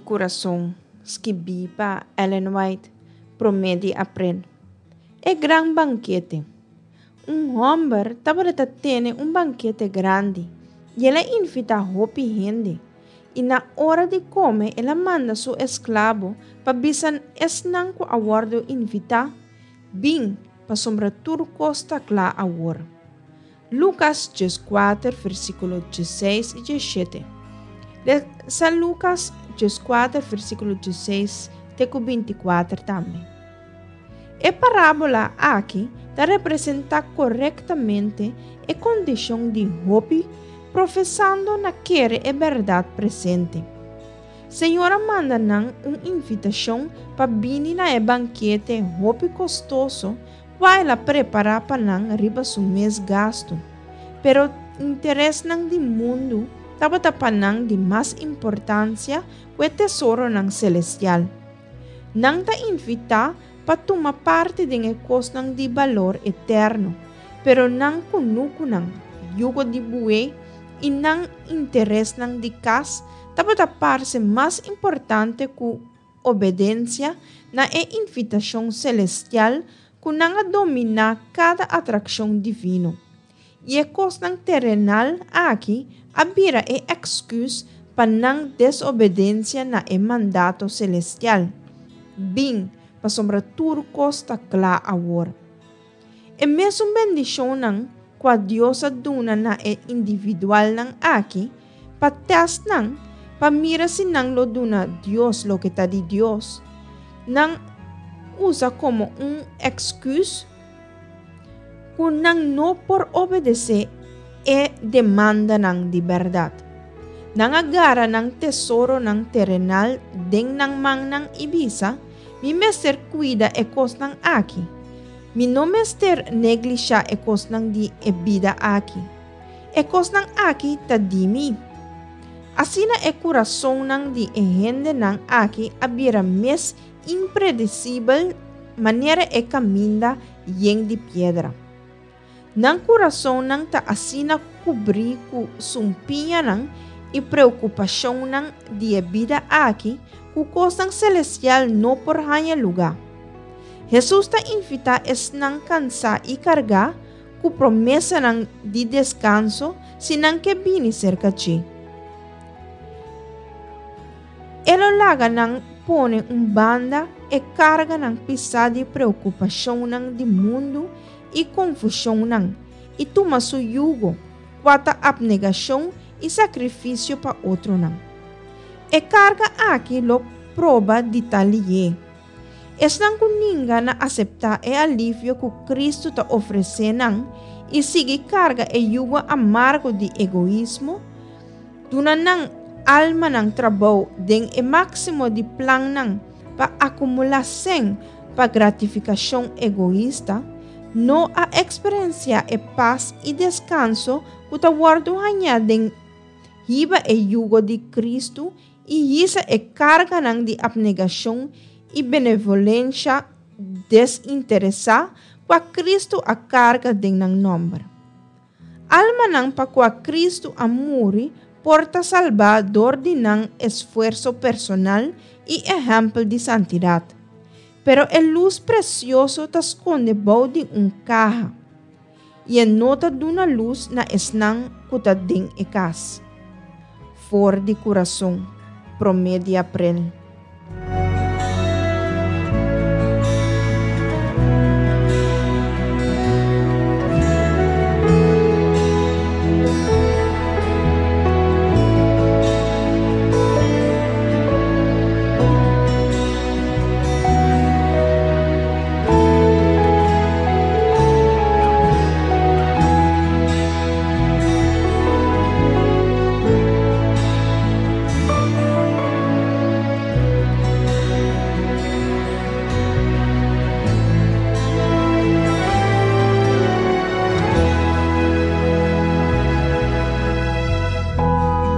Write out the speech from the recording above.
Kurason, skibí pa Ellen White, promé di aprel. E gran bankete. Un hòmber tabata tene un bankete grandi, i el a invitá hopi hende. I na ora di kome el a manda su esklabo pa bisa esnan ku a wòrdu invitá, Bin, pasobra tur kos ta kla awor. Lukas 14, versíkulo 16 i 17. Lesa Lukas 14, versíkulo 16 te ku 24 tambe. E parábola aki ta representá korektamente e kondishon di hopi profesando na kere e bèrdat presente. Señor a manda nan un invitashon pa bini na e bankete hopi kostoso kua el a prepará pa nan riba su mes gastu. Pero interesnan di mundu tabata pa nan di mas importansia ku e tesoronan selestial. Nan ta invitá pa tuma parti den e kosnan di balor eterno, pero nan kunukunan, yugo di bué i nan interesnan di kas tabata parse mas importante ku obedensia na e invitashon selestial ku nan a dominá kada atrakshon divino. I e kosnan terenal aki a bira e èksküs pa nan desobedensia na e mandato selestial, Bin, pasobra tur kos ta kla awor. E mesun bendishonnan kua Dios a duna na e individualnan aki pa tèst nan pa mira si nan lo duna Dios loke ta di Dios, nan usa komo un èksküs ku nan no por obedesé e demandanan di bèrdat. Nan a gara nan tesoronan terenal den nan mannan i bisa, Mi mester kuida e kosnan aki. Mi no mester neglishá e kosnan di e bida aki. E kosnan aki ta di mi. Asina e kurasonnan di e hendenan aki a bira mes impredesibel manera e kaminda yen di piedra. Nan kurasonnan ta asina kubrí ku sumpiñanan i preokupashonnan di e bida aki ku kosnan selestial no por haña lugá. Hesus ta invitá esnan kansá i kargá ku promesanan di deskanso si nan ke bini serka dje. E lo laga nan pone un banda e karganan pisá di preokupashonnan di mundu i konfushonnan, i tuma su yugo, kua ta apnegashon i sakrifisio pa otronan. E karga aki lo proba di ta lihé. Esnan ku ninga na aseptá e alivio ku Kristu ta ofresé nan i sigui karga e yugo amargo di egoismo, Duna nan almanan trabou den e máksimo di plannan pa akumulá sèn pa gratifikashon egoista, no a eksperensiá e pas i deskanso ku ta wòrdu hañá den hiba e yugo di Kristu i hisa e karganan di apnegashon i benevolensha desinteresá kua Kristu a karga den nan nòmber. Almanan pa kua Kristu a muri por ta salbá dor di nan esfuerso personal i ehèmpel di santidat. Pero e lus presioso ta skonde bou di un kaha, i e no ta duna lus na esnan ku ta den e kas. For di kurason, promé di aprel.